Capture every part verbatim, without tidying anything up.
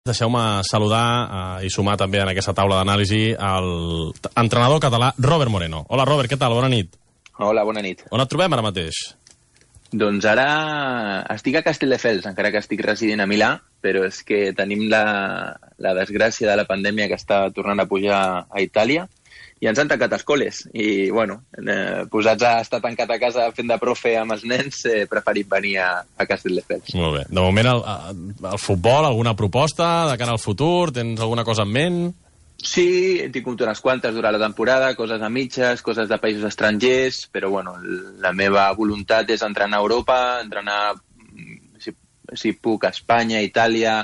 Deixeu-me saludar eh, i sumar també en aquesta taula d'anàlisi el entrenador català Robert Moreno. Hola, Robert, què tal? Bona nit. Hola, bona nit. On et trobem ara mateix? Doncs ara estic a Castelldefels, encara que estic residint a Milà, però és que tenim la, la desgràcia de la pandèmia que està tornant a pujar a Itàlia i ens han tancat escoles. I, bueno, eh, posats a estar tancat a casa fent de profe amb els nens, he preferit venir a, a Castelldefels. Molt bé. De moment, el, el futbol, alguna proposta de cara al futur? Tens alguna cosa en ment? Sí, he tingut unes quantes durant la temporada, coses a mitges, coses de països estrangers, però bueno, la meva voluntat és entrenar a Europa, entrenar, si, si puc, a Espanya, a Itàlia,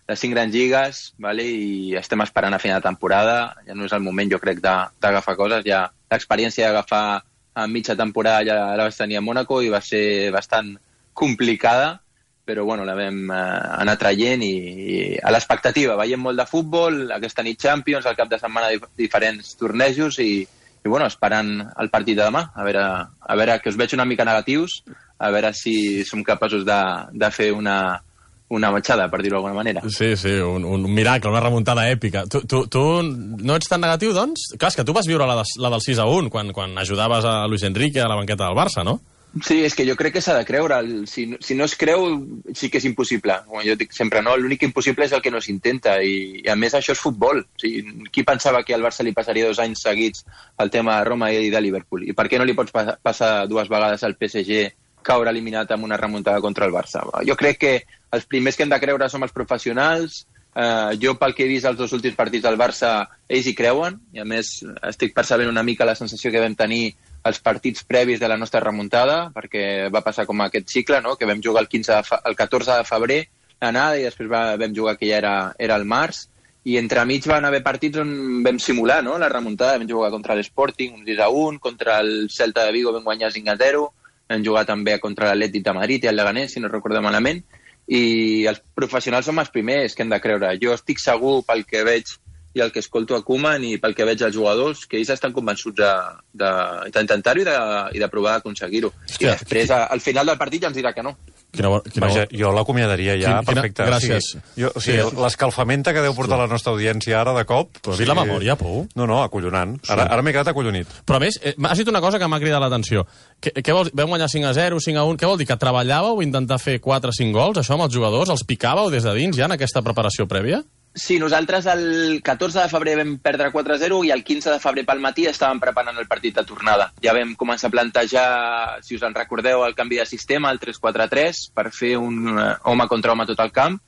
les cinc grans lligues, vale? I estem esperant a final de temporada. Ja no és el moment, jo crec, d'agafar coses. Ja l'experiència d'agafar a mitja temporada ja la vaig tenir a Mònaco i va ser bastant complicada, però bueno, la vam eh, anar traient i, i a l'expectativa. Veiem molt de futbol, aquesta nit Champions, al cap de setmana dif diferents tornejos i, i bueno, esperant el partit de demà. A veure, a veure, que us veig una mica negatius, a veure si som capaços de, de fer una... una matxada, per dir-ho d'alguna manera. Sí, sí, un, un miracle, una remuntada èpica. Tu, tu, tu no ets tan negatiu, doncs? Clar, és que tu vas viure la, de, la del sis a un, quan, quan ajudaves a Luis Enrique a la banqueta del Barça, no? Sí, és que jo crec que s'ha de creure. Si, si no es creu, sí que és impossible. Com jo dic sempre, no? L'únic impossible és el que no s'intenta, i, i a més això és futbol. O sigui, qui pensava que al Barça li passaria dos anys seguits el tema de Roma i de Liverpool? I per què no li pots pa passar dues vegades al P S G, caure eliminat amb una remuntada contra el Barça? Jo crec que els primers que hem de creure som els professionals. Eh, jo, pel que he vist els dos últims partits del Barça, ells hi creuen, i a més estic percebent una mica la sensació que vam tenir els partits previs de la nostra remuntada, perquè va passar com aquest cicle, no? Que vam jugar el, quinze de el catorze de febrer l'anada i després va, vam jugar que ja era, era el març, i entremig van haver partits on vam simular, no? La remuntada. Vam jugar contra l'Sporting un sis a un, contra el Celta de Vigo vam guanyar cinc a zero, vam jugar també contra l'Atlètic de Madrid i el Leganés, si no recordo malament, i els professionals som els primers que hem de creure. Jo estic segur, pel que veig i el que escolto a Koeman i pel que veig als jugadors, que ells estan convençuts d'intentar-ho i, de, i de provar d'aconseguir-ho. I després, al final del partit, ja ens dirà que no. Quina, quina... Vaja, jo l'acomiadaria ja, quina, perfecte. Gràcies. O sigui, jo, o sigui sí. L'escalfamenta que deu portar sí. la nostra audiència ara de cop... Però sí, la memòria, Pou. No, no, acollonant. Sí. Ara, ara m'he quedat acollonit. Però a més, eh, has dit una cosa que m'ha cridat l'atenció. Què, què vols, vam guanyar cinc a zero, cinc a un, què vol dir? Que treballàveu intentar fer quatre o cinc gols, això amb els jugadors? Els picàveu des de dins ja en aquesta preparació prèvia? Sí, nosaltres el catorze de febrer vam perdre quatre a zero i el quinze de febrer pel matí estàvem preparant el partit de tornada. Ja vam començar a plantejar, si us en recordeu, el canvi de sistema, el tres quatre tres, per fer un home contra home tot el camp,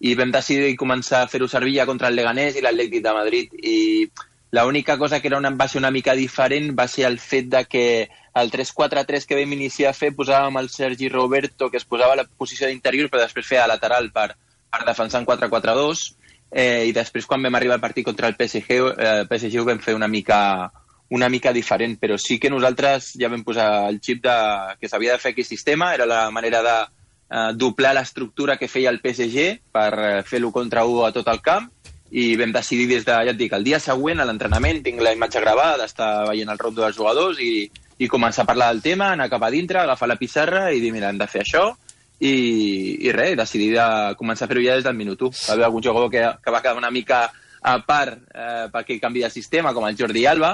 i vam decidir començar a fer-ho servir ja contra el Leganés i l'Atlètic de Madrid. I l'única cosa que era una, va ser una mica diferent va ser el fet de que el tres quatre tres que vam iniciar a fer posàvem el Sergi Roberto, que es posava a la posició d'interior, però després feia lateral per, per defensar en quatre quatre dos. Eh, i després quan vam arribar al partit contra el P S G, eh, P S G ho vam fer una mica, una mica diferent, però sí que nosaltres ja vam posar el xip de, que s'havia de fer aquest sistema, era la manera de eh, doblar l'estructura que feia el P S G per eh, fer l'u contra u a tot el camp, i vam decidir des de, ja et dic, el dia següent a l'entrenament, tinc la imatge gravada d'estar veient el rondo dels jugadors i, i començar a parlar del tema, anar cap a dintre, agafar la pissarra i dir, mira, hem de fer això. I, i res, decidir de començar a fer-ho ja des del minut u. Va haver algun jugador que, que va quedar una mica a part eh, perquè canvi de sistema, com el Jordi Alba,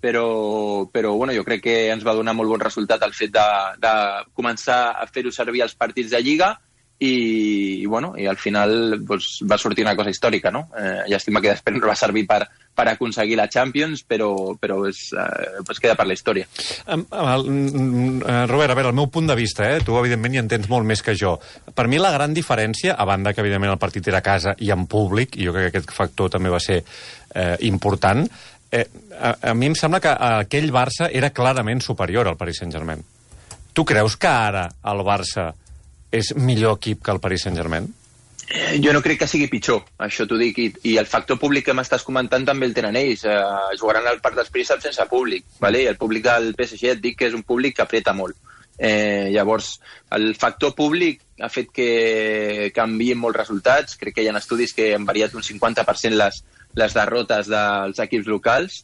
però, però bueno, jo crec que ens va donar molt bon resultat el fet de, de començar a fer-ho servir als partits de Lliga i, i, bueno, i al final doncs, va sortir una cosa històrica, no? Eh, llàstima que després no va servir per, per aconseguir la Champions, però, però és, eh, es queda per la història. Um, uh, Robert, a veure, el meu punt de vista, eh? Tu evidentment hi entens molt més que jo. Per mi la gran diferència, a banda que evidentment el partit era a casa i en públic, i jo crec que aquest factor també va ser eh, important, eh, a, a mi em sembla que aquell Barça era clarament superior al Paris Saint-Germain. Tu creus que ara el Barça és millor equip que el Paris Saint-Germain? Eh, jo no crec que sigui pitjor, això t'ho dic, i, i el factor públic que m'estàs comentant també el tenen ells. Eh, jugaran al Parc dels Príncips sense públic, vale? El públic del P S G et dic que és un públic que apreta molt. Eh, llavors, el factor públic ha fet que canvien molts resultats. Crec que hi ha estudis que han variat un cinquanta per cent les, les derrotes dels equips locals,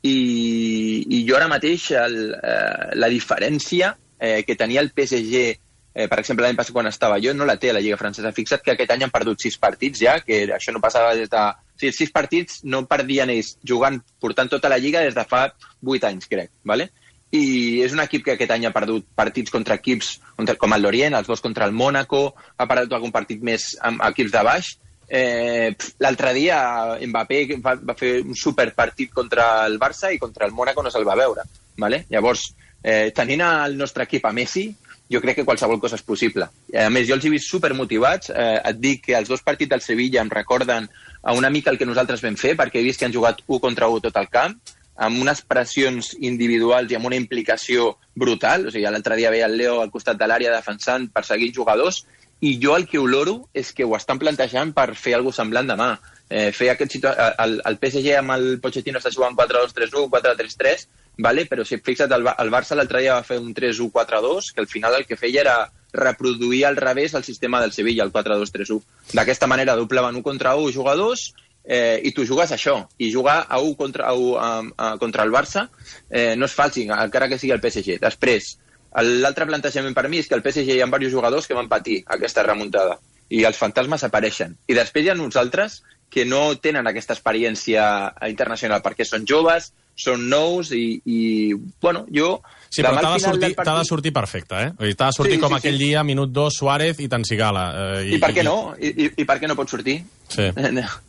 i, i jo ara mateix el, eh, la diferència eh, que tenia el P S G eh, per exemple, l'any passat quan estava jo, no la té a la Lliga Francesa. Fixa't que aquest any han perdut sis partits ja, que això no passava des de... O sigui, sis partits no perdien ells jugant, portant tota la Lliga des de fa vuit anys, crec, ¿vale? I és un equip que aquest any ha perdut partits contra equips contra, com el Lorient, els dos contra el Mónaco, ha perdut algun partit més amb equips de baix. Eh, L'altre dia Mbappé va, va fer un superpartit contra el Barça i contra el Mónaco no se'l va veure, ¿vale? Llavors, eh, tenint el nostre equip a Messi, jo crec que qualsevol cosa és possible. A més, jo els he vist supermotivats. Eh, et dic que els dos partits del Sevilla em recorden a una mica el que nosaltres vam fer, perquè he vist que han jugat u contra u tot el camp, amb unes pressions individuals i amb una implicació brutal. O sigui, l'altre dia veia el Leo al costat de l'àrea defensant, perseguint jugadors, i jo el que oloro és que ho estan plantejant per fer alguna cosa semblant demà. Eh, fer aquest situa- el, el P S G amb el Pochettino està jugant quatre dos tres u, quatre tres tres, vale? Però si et fixa't, el, el Barça l'altre dia va fer un tres u quatre dos, que al final el que feia era reproduir al revés el sistema del Sevilla, el quatre dos tres u. D'aquesta manera doblaven u contra u jugadors, eh, i tu jugues això. I jugar a u contra, u, a, a, contra el Barça eh, no és fàcil, encara que sigui el P S G. Després, l'altre plantejament per mi és que el P S G hi ha diversos jugadors que van patir aquesta remuntada i els fantasmes apareixen. I després hi ha uns altres que no tenen aquesta experiència internacional perquè són joves, són nous i, i bueno, jo... Sí, però t'ha de, sortir, partit... t'ha de sortir perfecte, eh? T'ha de sortir sí, com sí, aquell sí. dia, minut dos, Suárez i Tansigala. Eh, I, I per què no? I, i, I per què no pot sortir? Sí.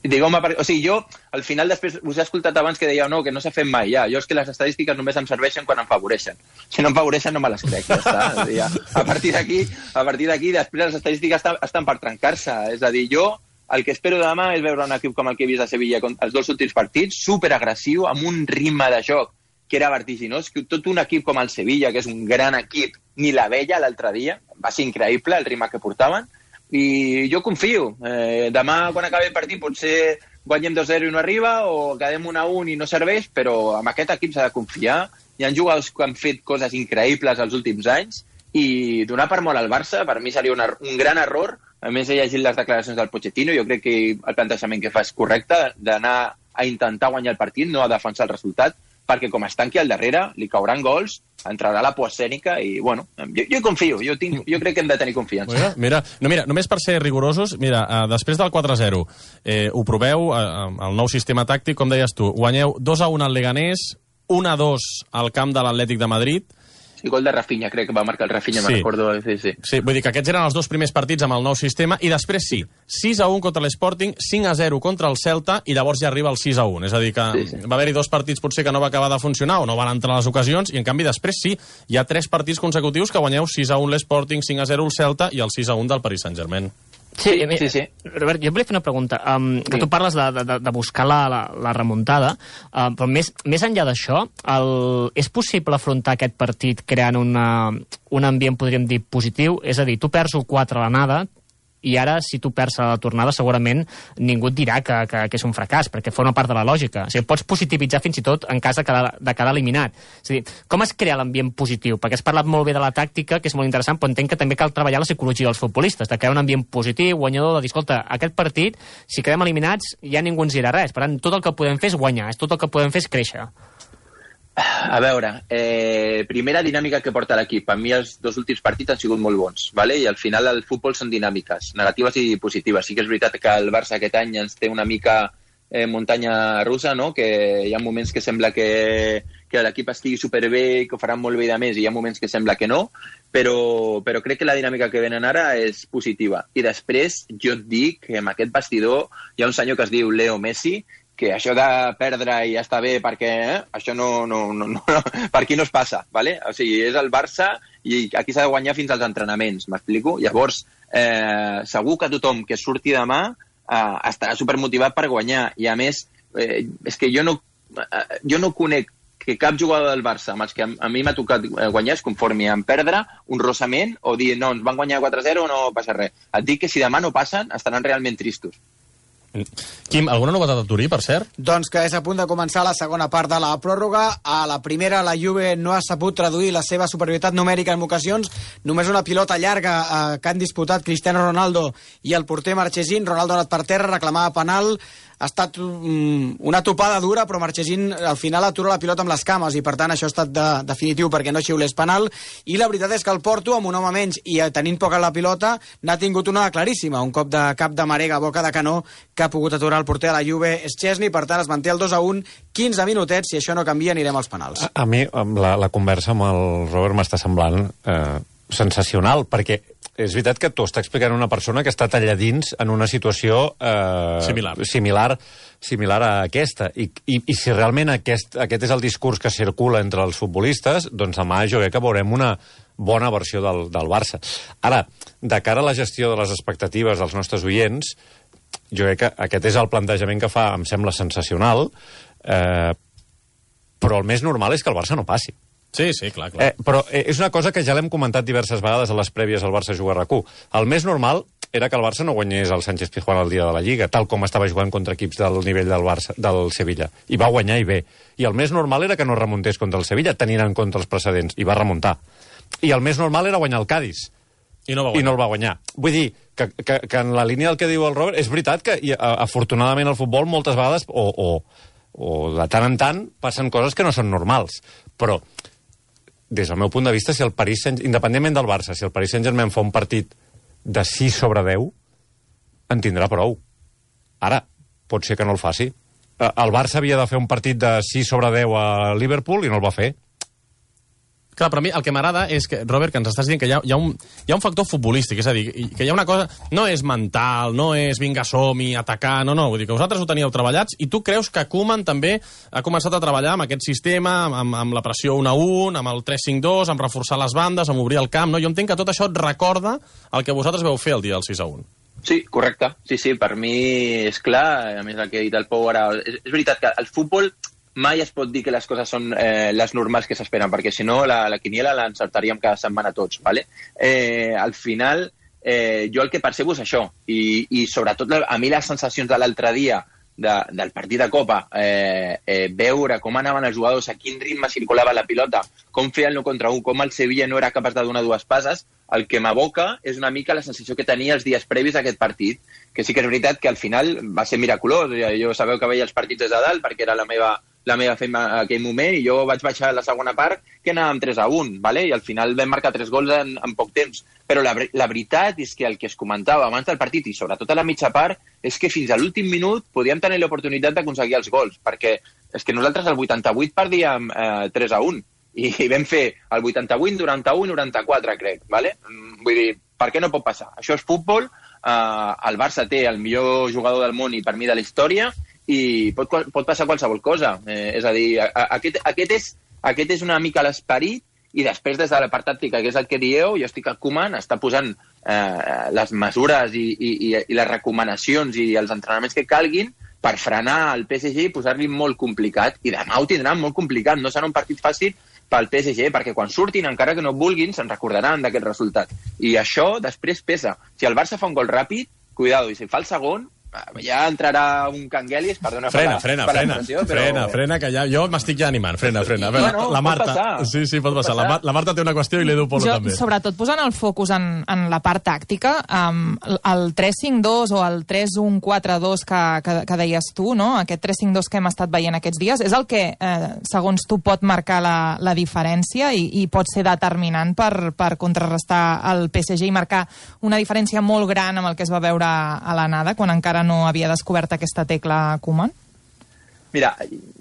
Digueu-me, per... o sigui, jo, al final, després, us he escoltat abans que dèieu no, que no s'ha fet mai, ja. Jo és que les estadístiques només em serveixen quan em favoreixen. Si no em favoreixen, no me les crec, ja està. Ja. A partir d'aquí, a partir d'aquí, després les estadístiques estan, estan per trencar-se. És a dir, jo... El que espero demà és veure un equip com el que he vist a Sevilla els dos últims partits, superagressiu, amb un ritme de joc que era vertiginós, que tot un equip com el Sevilla, que és un gran equip, ni la veia l'altre dia, va ser increïble el ritme que portaven, i jo confio. Eh, demà, quan acabi el partit, potser guanyem dos zero i no arriba, o quedem un a un i no serveix, però amb aquest equip s'ha de confiar. Hi ha jugadors que han fet coses increïbles els últims anys, i donar per molt al Barça, per mi seria un, un gran error. A més, he llegit les declaracions del Pochettino, jo crec que el plantejament que fa és correcte, d'anar a intentar guanyar el partit, no a defensar el resultat, perquè com es tanqui al darrere, li cauran gols, entrarà la por escènica i, bueno, jo, jo confio, jo, tinc, jo crec que hem de tenir confiança. Mira, mira, no, mira només per ser rigorosos, mira, uh, després del quatre zero, eh, ho proveu, uh, el nou sistema tàctic, com deies tu, guanyeu dos a un al Leganés, un a dos al camp de l'Atlètic de Madrid. Sí, gol de Rafinha, crec que va marcar el Rafinha, sí. Me'n recordo. Sí, sí. Sí, vull dir que aquests eren els dos primers partits amb el nou sistema, i després sí, sis a un contra l'Sporting, cinc a zero contra el Celta, i llavors ja arriba el sis a un. És a dir, que sí, sí. va haver-hi dos partits potser que no va acabar de funcionar o no van entrar les ocasions, i en canvi després sí, hi ha tres partits consecutius que guanyeu sis a un l'Sporting, cinc a zero el Celta i el sis a un del Paris Saint-Germain. Sí, sí, sí, sí. Robert, jo volia fer una pregunta. Um, que sí. Tu parles de, de, de buscar la, la, la remuntada, uh, però més, més enllà d'això, el, és possible afrontar aquest partit creant una, un ambient, podríem dir, positiu? És a dir, tu perds un quatre a l'anada, i ara, si tu perds a la tornada, segurament ningú et dirà que, que, que és un fracàs, perquè forma part de la lògica. O sigui, pots positivitzar fins i tot en cas de quedar, de quedar eliminat. És a dir, com es crea l'ambient positiu? Perquè has parlat molt bé de la tàctica, que és molt interessant, però entenc que també cal treballar la psicologia dels futbolistes, de crear un ambient positiu, guanyador, de dir, escolta, aquest partit, si quedem eliminats, ja ningú ens dirà res. Per tant, tot el que podem fer és guanyar, tot el que podem fer és créixer. A veure, eh, primera dinàmica que porta l'equip. A mi els dos últims partits han sigut molt bons, ¿vale? I al final el futbol són dinàmiques, negatives i positives. Sí que és veritat que el Barça aquest any ens té una mica eh, muntanya russa, no? Que hi ha moments que sembla que, que l'equip estigui superbé, que ho faran molt bé de més, i hi ha moments que sembla que no, però, però crec que la dinàmica que venen ara és positiva. I després jo et dic que en aquest vestidor hi ha un senyor que es diu Leo Messi, que això de perdre i ja està bé perquè eh, això no, no, no, no, per aquí no es passa, ¿vale? O sigui, és el Barça i aquí s'ha de guanyar fins als entrenaments, m'explico? Llavors, eh, segur que tothom que surti demà eh, estarà supermotivat per guanyar, i a més, eh, és que jo no, eh, jo no conec que cap jugador del Barça amb els que a, a mi m'ha tocat guanyar es conformi en perdre un rossament o dir no, ens van guanyar quatre zero, no passa res. Et dic que si demà no passen, estaran realment tristos. Quim, alguna novetat a Turí, per cert? Doncs que és a punt de començar la segona part de la pròrroga. A la primera, la Juve no ha sabut traduir la seva superioritat numèrica en ocasions. Només una pilota llarga eh, que han disputat Cristiano Ronaldo i el porter Marchesín. Ronaldo ha anat per terra, reclamava penal. Ha estat um, una topada dura, però Marchesín al final atura la pilota amb les cames i per tant això ha estat de, definitiu perquè no xiulés penal. I la veritat és que el Porto, amb un home menys i tenint poca la pilota, n'ha tingut una claríssima, un cop de cap de Marega a boca de canó que ha pogut aturar el porter de la Juve, Szczesny. Per tant es manté el dos a un, quinze minutets, si això no canvia anirem als penals. A, a mi la, la conversa amb el Robert m'està semblant eh, sensacional, perquè és veritat que t'ho està explicant una persona que està allà dins en una situació eh, similar. similar similar a aquesta. I, i, i si realment aquest, aquest és el discurs que circula entre els futbolistes, doncs demà jo crec que veurem una bona versió del, del Barça. Ara, de cara a la gestió de les expectatives dels nostres oients, jo crec que aquest és el plantejament que fa, em sembla sensacional, eh, però el més normal és que el Barça no passi. Sí, sí, clar, clar. Eh, però eh, és una cosa que ja l'hem comentat diverses vegades a les prèvies al Barça jugar a RAC u. El més normal era que el Barça no guanyés el Sánchez Pizjuán el dia de la Lliga, tal com estava jugant contra equips del nivell del Barça, del Sevilla. I va guanyar i bé. I el més normal era que no remuntés contra el Sevilla, tenint en compte els precedents. I va remuntar. I el més normal era guanyar el Cádiz. I no va guanyar. I no el va guanyar. Vull dir que, que, que en la línia del que diu el Robert, és veritat que i, a, afortunadament el futbol moltes vegades, o, o, o de tant en tant, passen coses que no són normals. Però des del meu punt de vista, si el Paris Saint... independentment del Barça, si el Paris Saint-Germain fa un partit de sis sobre deu, en tindrà prou. Ara, pot ser que no el faci. El Barça havia de fer un partit de sis sobre deu a Liverpool i no el va fer. Clar, però a mi el que m'agrada és que, Robert, que ens estàs dient que hi ha, hi, ha un, hi ha un factor futbolístic, és a dir, que hi ha una cosa... No és mental, no és vinga, som-hi, atacar, no, no, vull dir que vosaltres ho teníeu treballats i tu creus que Koeman també ha començat a treballar amb aquest sistema, amb, amb la pressió un a un, amb el tres cinc dos, amb reforçar les bandes, amb obrir el camp, no? Jo entenc que tot això et recorda el que vosaltres veu fer el dia del sis a un. Sí, correcte. Sí, sí, per mi és clar, a més el que ha dit el Pau ara... És, és veritat que el futbol... mai es pot dir que les coses són eh, les normals que s'esperen, perquè si no la, la quiniela l'encertaríem cada setmana tots, ¿vale? Eh, al final, eh, jo el que percebo és això, i, i sobretot a mi les sensacions de l'altre dia de, del partit de Copa, eh, eh, veure com anaven els jugadors, a quin ritme circulava la pilota, com feien el contra un, com el Sevilla no era capaç de donar dues passes, el que m'aboca és una mica la sensació que tenia els dies previs a aquest partit, que sí que és veritat que al final va ser miraculós. Jo sabeu que veia els partits des de dalt perquè era la meva la meva feina en aquell moment, i jo vaig baixar a la segona part que anàvem tres a un, ¿vale? I al final vam marcar tres gols en, en poc temps. Però la, la veritat és que el que es comentava abans del partit, i sobretot a la mitja part, és que fins a l'últim minut podíem tenir l'oportunitat d'aconseguir els gols, perquè és que nosaltres al vuitanta-vuit perdíem eh, tres a un, i, i vam fer el vuitanta-vuit, noranta-u i noranta-quatre, crec, ¿vale? Vull dir, per què no pot passar? Això és futbol, eh, el Barça té el millor jugador del món i per mi de la història, i pot, pot passar qualsevol cosa. Eh, és a dir, a, a, aquest, aquest, és, aquest és una mica l'esperit, i després des de la part tàctica, que és el que dieu, jo estic al Koeman, està posant eh, les mesures i, i, i les recomanacions i els entrenaments que calguin per frenar el P S G i posar-li molt complicat, i demà ho tindran molt complicat, no serà un partit fàcil pel P S G, perquè quan surtin, encara que no vulguin, se'n recordaran d'aquest resultat. I això després pesa. Si el Barça fa un gol ràpid, cuidado, i si fa el segon, ja entrarà un Canguelis, perdona frena, per la, frena, per la frena, però... frena, frena, que ja, jo m'estic ja animant, frena, frena. Veure, bueno, la Marta, pot passar. sí, sí, pot, pot passar. passar. La, la Marta té una qüestió i l'Edu Polo jo, també. Sobretot posant el focus en, en la part tàctica, um, el tres cinc dos o el tres un quatre dos que, que, que deies tu, no? Aquest tres cinc dos que hem estat veient aquests dies, és el que, eh, segons tu, pot marcar la, la diferència i, i pot ser determinant per, per contrarrestar el P S G i marcar una diferència molt gran amb el que es va veure a l'anada, quan encara no havia descobert aquesta tecla Koeman? Mira,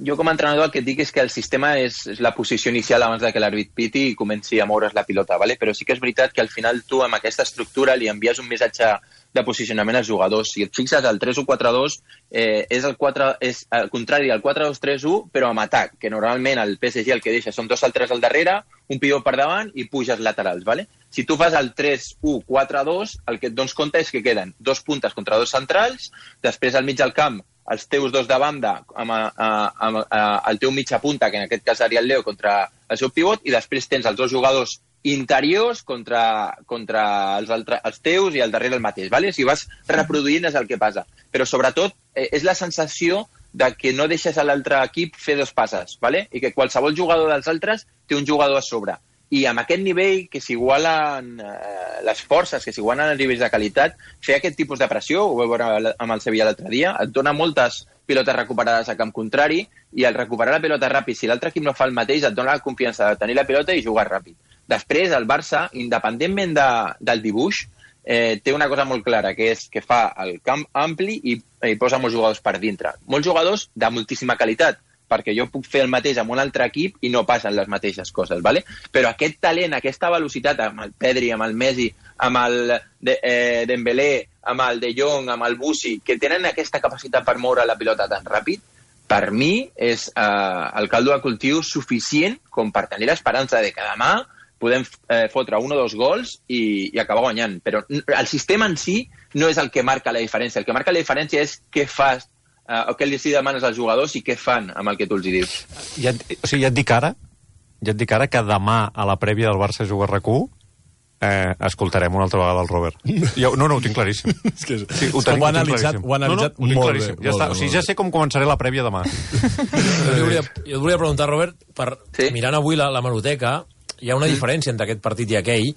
jo com a entrenador el que et dic és que el sistema és, és la posició inicial abans de que l'àrbit piti i comenci a moure's la pilota, ¿vale? Però sí que és veritat que al final tu amb aquesta estructura li envies un missatge de posicionament als jugadors. Si et fixes, el tres u quatre dos eh, és, el quatre, és el contrari al quatre dos tres u, però amb atac, que normalment el P S G el que deixa són dos altres al darrere, un pivot per davant i puges laterals, ¿vale? Si tu fas el tres u quatre dos, el que et dones compte és que queden dos puntes contra dos centrals, després al mig del camp els teus dos de banda amb, amb, amb, amb el teu mitja punta, que en aquest cas seria el Leo, contra el seu pivot, i després tens els dos jugadors interiors contra, contra els, altre, els teus i al darrere el mateix, vale? Si vas reproduint és el que passa. Però sobretot eh, és la sensació de que no deixes a l'altre equip fer dos passes, vale? I que qualsevol jugador dels altres té un jugador a sobre. I amb aquest nivell, que s'igualen eh, les forces, que s'igualen els nivells de qualitat, fer aquest tipus de pressió, ho vau veure amb el Sevilla l'altre dia, et dona moltes pilotes recuperades a camp contrari, i al recuperar la pilota ràpid, si l'altre equip no fa el mateix, et dona la confiança de tenir la pilota i jugar ràpid. Després, el Barça, independentment de, del dibuix, eh, té una cosa molt clara, que és que fa el camp ampli i, i posa molts jugadors per dintre. Molts jugadors de moltíssima qualitat, perquè jo puc fer el mateix amb un altre equip i no passen les mateixes coses, ¿vale? Però aquest talent, aquesta velocitat, amb el Pedri, amb el Messi, amb el de, eh, Dembélé, amb el De Jong, amb el Bussi, que tenen aquesta capacitat per moure la pilota tan ràpid, per mi és eh, el caldo de cultiu suficient com per tenir l'esperança de que demà podem eh, fotre un o dos gols i, i acabar guanyant. Però el sistema en si no és el que marca la diferència. El que marca la diferència és què fas, eh, o què li demanes als jugadors i què fan amb el que tu els hi dius. Ja, o sigui, ja et dic ara, ja et dic ara que demà a la prèvia del Barça Juga R Q eh, escoltarem una altra vegada el Robert. Jo, no, no, ho tinc claríssim. És que sí, ho, tenim, ho ha analitzat, ho ho ha analitzat no, no, ho molt claríssim. bé. Ja molt està. bé, O sigui, ja sé com començaré la prèvia demà. Jo, volia, jo et volia preguntar, Robert, per, sí? mirant avui la, la meroteca, hi ha una diferència entre aquest partit i aquell,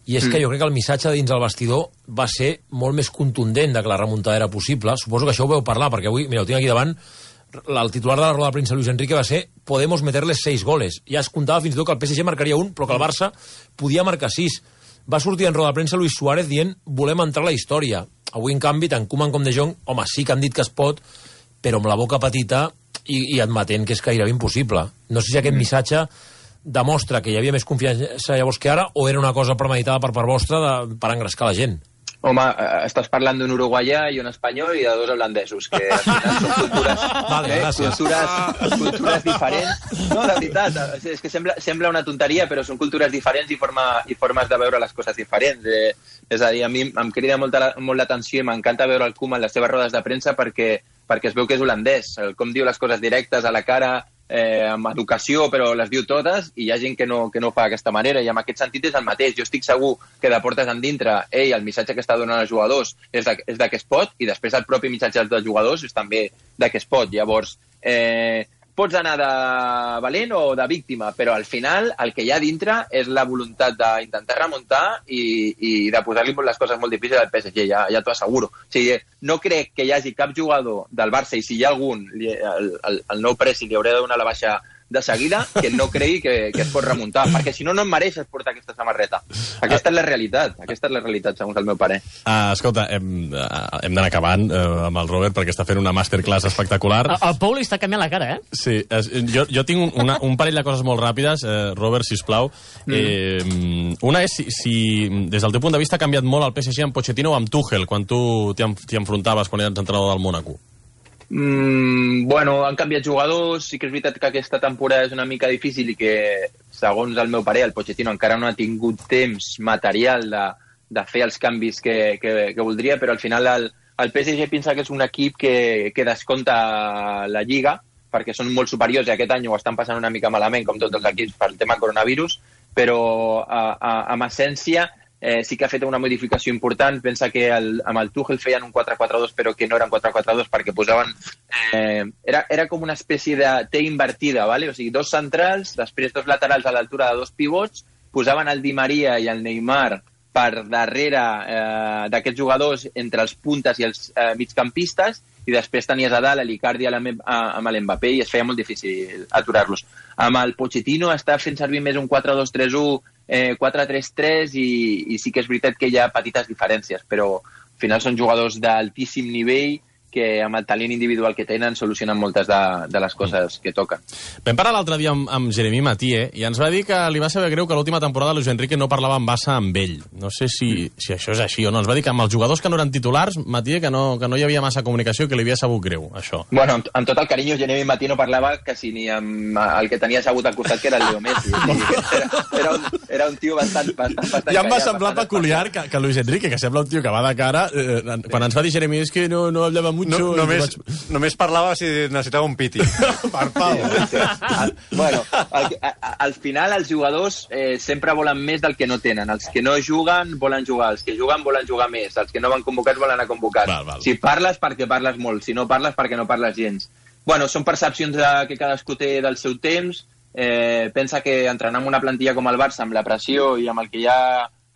i és que jo crec que el missatge dins el vestidor va ser molt més contundent de que la remuntada era possible. Suposo que això ho veu parlar, perquè avui, mira, ho tinc aquí davant, el titular de la roda de premsa Luis Enrique va ser Podemos meterles seis goles. Ja es comptava fins i tot que el P S G marcaria un, però que el Barça podia marcar sis. Va sortir en roda de premsa Luis Suárez dient volem entrar a la història. Avui, en canvi, tant Koeman com De Jong, home, sí que han dit que es pot, però amb la boca petita i, i admetent que és gairebé impossible. No sé si aquest missatge demostra que hi havia més confiança llavors que ara, o era una cosa premeditada per part vostra de, per engrescar la gent? Home, estàs parlant d'un uruguaià i un espanyol i de dos holandesos, que al final són cultures, vale, eh, gràcies. cultures, cultures diferents. No, de veritat, és que sembla, sembla una tonteria, però són cultures diferents i, forma, i formes de veure les coses diferents. Eh, és a dir, a mi em crida molta, molt l'atenció i m'encanta veure el Koeman en les seves rodes de premsa perquè, perquè es veu que és holandès, com diu les coses directes a la cara, eh, amb educació, però les diu totes, i hi ha gent que no, que no fa d'aquesta manera, i en aquest sentit és el mateix. Jo estic segur que de portes endintre, ell, el missatge que està donant als jugadors és de, és de que es pot, i després el propi missatge dels jugadors és també de que es pot. Llavors, eh, pots anar de valent o de víctima, però al final el que hi ha dintre és la voluntat d'intentar remuntar i, i de posar-li les coses molt difícils al P S G, ja, ja t'ho asseguro. O sigui, no crec que hi hagi cap jugador del Barça, i si hi ha algun, el, el, el nou presi li haurà de donar la baixa de seguida, que no cregui que, que es pot remuntar, perquè si no, no em mereixes portar aquesta samarreta. Aquesta és la realitat, aquesta és la realitat, segons el meu pare. Uh, escolta, hem, uh, hem d'anar acabant uh, amb el Robert, perquè està fent una masterclass espectacular. El, el Pau li està canviant la cara, eh? Sí, es, jo, jo tinc una, un parell de coses molt ràpides, eh, Robert, sisplau. Mm. Eh, una és si, si, des del teu punt de vista, ha canviat molt el P S G amb Pochettino o amb Tuchel, quan tu t'hi enfrontaves quan eres entrenador del Mónaco. Mm, bueno, han canviat jugadors, sí que és veritat que aquesta temporada és una mica difícil i que, segons el meu pare, el Pochettino encara no ha tingut temps material de, de fer els canvis que, que, que voldria, però al final el, el P S G pensa que és un equip que, que descompta la Lliga, perquè són molt superiors i aquest any ho estan passant una mica malament, com tots els equips, per el tema coronavirus, però a, a, amb essència Eh, sí que ha fet una modificació important. Pensa que el, amb el Tuchel feien un quatre quatre dos, però que no eren quatre quatre dos perquè posaven... Eh, era, era com una espècie de T invertida, ¿vale? O sigui, dos centrals, després dos laterals a l'altura de dos pivots, posaven el Di Maria i el Neymar per darrere eh, d'aquests jugadors entre els puntes i els eh, migcampistes, i després tenies a dalt l'Icardi amb l'Mbappé i es feia molt difícil aturar-los. Amb el Pochettino està fent servir més un quatre dos tres u, eh, quatre tres tres i, i sí que és veritat que hi ha petites diferències, però al final són jugadors d'altíssim nivell que amb el talent individual que tenen solucionen moltes de, de les coses que toquen. Vam parlar l'altre dia amb, amb Jeremy Mathieu i ens va dir que li va saber greu que l'última temporada Luis Enrique no parlava amb Bassa amb ell. No sé si, si això és així o no. Ens va dir que amb els jugadors que no eren titulars, Mathieu, que no, que no hi havia massa comunicació, que li havia sabut greu, això. Bueno, amb, amb tot el carinyo, Jeremy Mathieu no parlava quasi ni amb el que tenia assegut al costat, que era el Leo Messi. Era, era, un, era un tio bastant... bastant, bastant ja em va callat, semblar peculiar que, que Luis Enrique, que sembla un tio que va de cara, eh, quan ens va dir Jeremy, és que no, no hablava mucho... No, només, vaig... només parlava si necessitava un piti. Per Pau. Al, bueno, al, a, al final els jugadors eh, sempre volen més del que no tenen. Els que no juguen volen jugar, els que juguen volen jugar més, els que no van convocats volen anar convocats. Val, val. Si parles, perquè parles molt, si no parles, perquè no parles gens. Bueno, són percepcions de, que cadascú té del seu temps. Eh, pensa que entrenar amb una plantilla com el Barça, amb la pressió i amb el que hi ha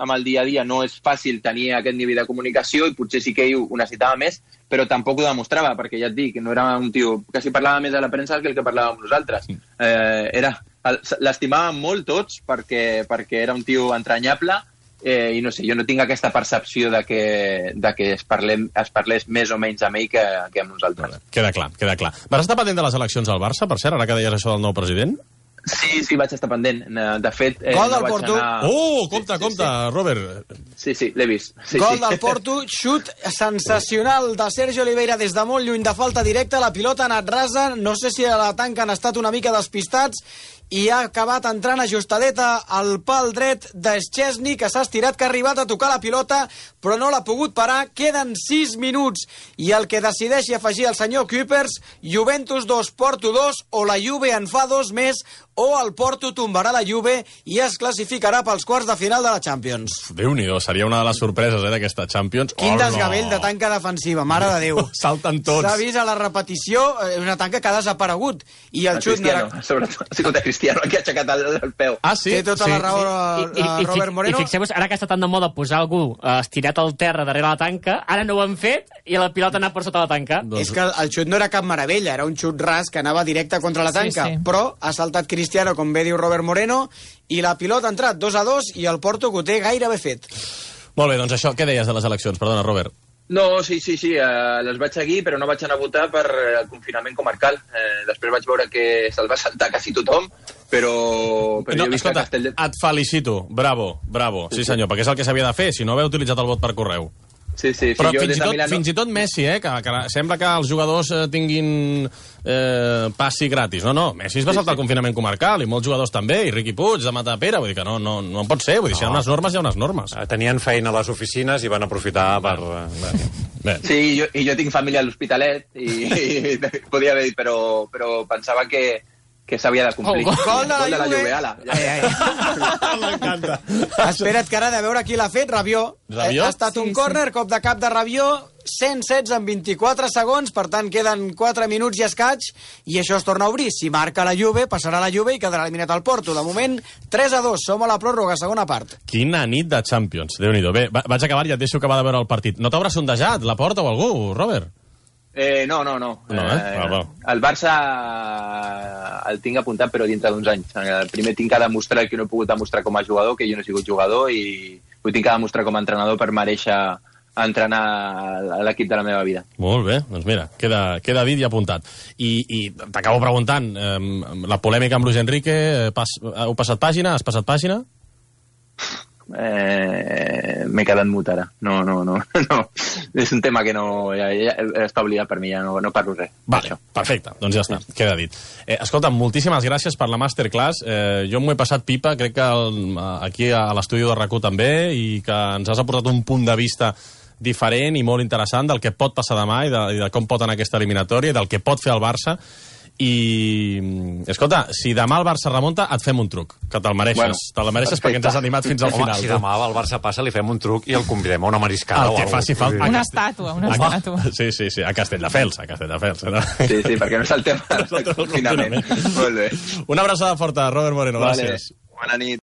amb el dia a dia, no és fàcil tenir aquest nivell de comunicació i potser sí que ell ho necessitava més, però tampoc ho demostrava, perquè ja et dic, no era un tio que si parlava més a la premsa que el que parlàvem nosaltres. Eh, era, l'estimàvem molt tots perquè, perquè era un tio entranyable eh, i no sé, jo no tinc aquesta percepció de que, de que es, parlem, es parlés més o menys amb ell que, que amb nosaltres. Queda clar, queda clar. Vas estar pendent de les eleccions al Barça, per cert, ara que deies això del nou president? Sí, sí, vaig estar pendent. De fet, eh, Gol no del vaig Porto. anar... Oh, compte, sí, sí, compte, sí. Robert. Sí, sí, l'he vist. Sí, Gol sí. del Porto, xut sensacional de Sergio Oliveira des de molt lluny de falta directa, la pilota ha anat rasa, no sé si a la tanca han estat una mica despistats, i ha acabat entrant ajustadeta al pal dret d'Schesny, que s'ha estirat, que ha arribat a tocar la pilota, però no l'ha pogut parar. Queden sis minuts, i el que decideixi afegir el senyor Kuipers, Juventus dos, Porto dos, o la Juve en fa dos més, o el Porto tombarà la Juve i es classificarà pels quarts de final de la Champions. Déu-n'hi-do, seria una de les sorpreses eh, d'aquesta Champions. Quin Oh, desgavell no. de tanca defensiva, mare de Déu. Salten tots. S'ha vist a la repetició eh, una tanca que ha desaparegut. I el El xut no Cristiano, era... sobretot. Ha sigut el Cristiano que ha aixecat el, el peu. Ah, sí? Té tota sí. la raó I, i, a i, Robert fi- Moreno. I fixeu-vos, ara que està tan de moda posar algú eh, estirat al terra darrere la tanca, ara no ho han fet i la pilota ha anat per sota la tanca. Doncs- És que el xut no era cap meravella, era un xut ras que anava directe contra la Sí, tanca, sí. però ha saltat Cristiano, com bé diu Robert Moreno, i la pilota ha entrat dos a dos i el Porto que ho té gairebé fet. Molt bé, doncs això, què deies de les eleccions? Perdona, Robert. No, sí, sí, sí, eh, les vaig seguir, però no vaig anar a votar per eh, el confinament comarcal. Eh, després vaig veure que se'l va saltar quasi tothom, però, però No, jo he vist escolta, que Castell... et felicito. Bravo, bravo. Sí, senyor, perquè és el que s'havia de fer, si no haver utilitzat el vot per correu. Sí, sí, sí, Però jo fins des i, de tot, Milà no... fins i tot Messi, eh, que, que sembla que els jugadors eh, tinguin eh, passi gratis. No, no, Messi es va Sí, saltar sí. el confinament comarcal, i molts jugadors també, i Riqui Puig, de Matapera, vull dir que no, no, no en pot ser, vull dir, si hi ha unes normes, hi ha unes normes. Eh, Tenien feina a les oficines i van aprofitar per... eh, Bé. Sí, i jo, i jo tinc família a l'Hospitalet, i, i podia haver dit, però, però pensava que, que s'havia de complir. Oh, gol de la Gol de la Juve. Juve, ala. Ja, Ai, ai. M'encanta. Espera't que ara de veure qui l'ha fet, Rabiot. Rabiot? Ha estat un Sí, córner, cop de cap de Rabiot, cent setze en vint-i-quatre segons, per tant queden quatre minuts i escaig, i això es torna a obrir. Si marca la Juve, passarà la Juve i quedarà eliminat el Porto. De moment, tres a dos, som a la pròrroga, segona part. Quina nit de Champions, Déu-n'hi-do. Bé, va- vaig acabar i et deixo acabar de veure el partit. No t'haurà sondejat la porta o algú, Robert? Eh, no, no, no. No, eh? Va, va. El Barça el tinc apuntat, però dintre d'uns anys. El primer tinc que demostrar el que no he pogut demostrar com a jugador, que jo no he sigut jugador, i ho tinc que demostrar com a entrenador per mereixer entrenar a l'equip de la meva vida. Molt bé, doncs mira, queda, queda dit i apuntat. I, i t'acabo preguntant, eh, la polèmica amb Luis Enrique, eh, pas, heu passat pàgina? Has passat pàgina? Eh, m'he quedat mut ara. No, no, no, no. És un tema que no, ja, ja està oblidat per mi, ja no, no parlo res. Vale, perfecte, doncs ja està, queda dit. Eh, escolta, moltíssimes gràcies per la masterclass. Eh, jo m'ho he passat pipa, crec que el, aquí a l'estudi de R A C U també, i que ens has aportat un punt de vista diferent i molt interessant del que pot passar demà i de, i de com pot anar aquesta eliminatòria i del que pot fer el Barça. I, escolta, si demà el Barça remunta, et fem un truc, que te'l mereixes. Bueno, Te'l mereixes perquè ens has animat fins al Home, final. si demà el Barça passa, li fem un truc i el convidem a una mariscada El o que alguna faci falta. Una A Castell- estàtua, una a- estàtua. Sí, sí, sí, a Castelldefels, a Castelldefels. No? Sí, sí, perquè no és el tema del el confinament. confinament. Molt bé. Una abraçada forta, Robert Moreno, Vale. gràcies. Bona nit.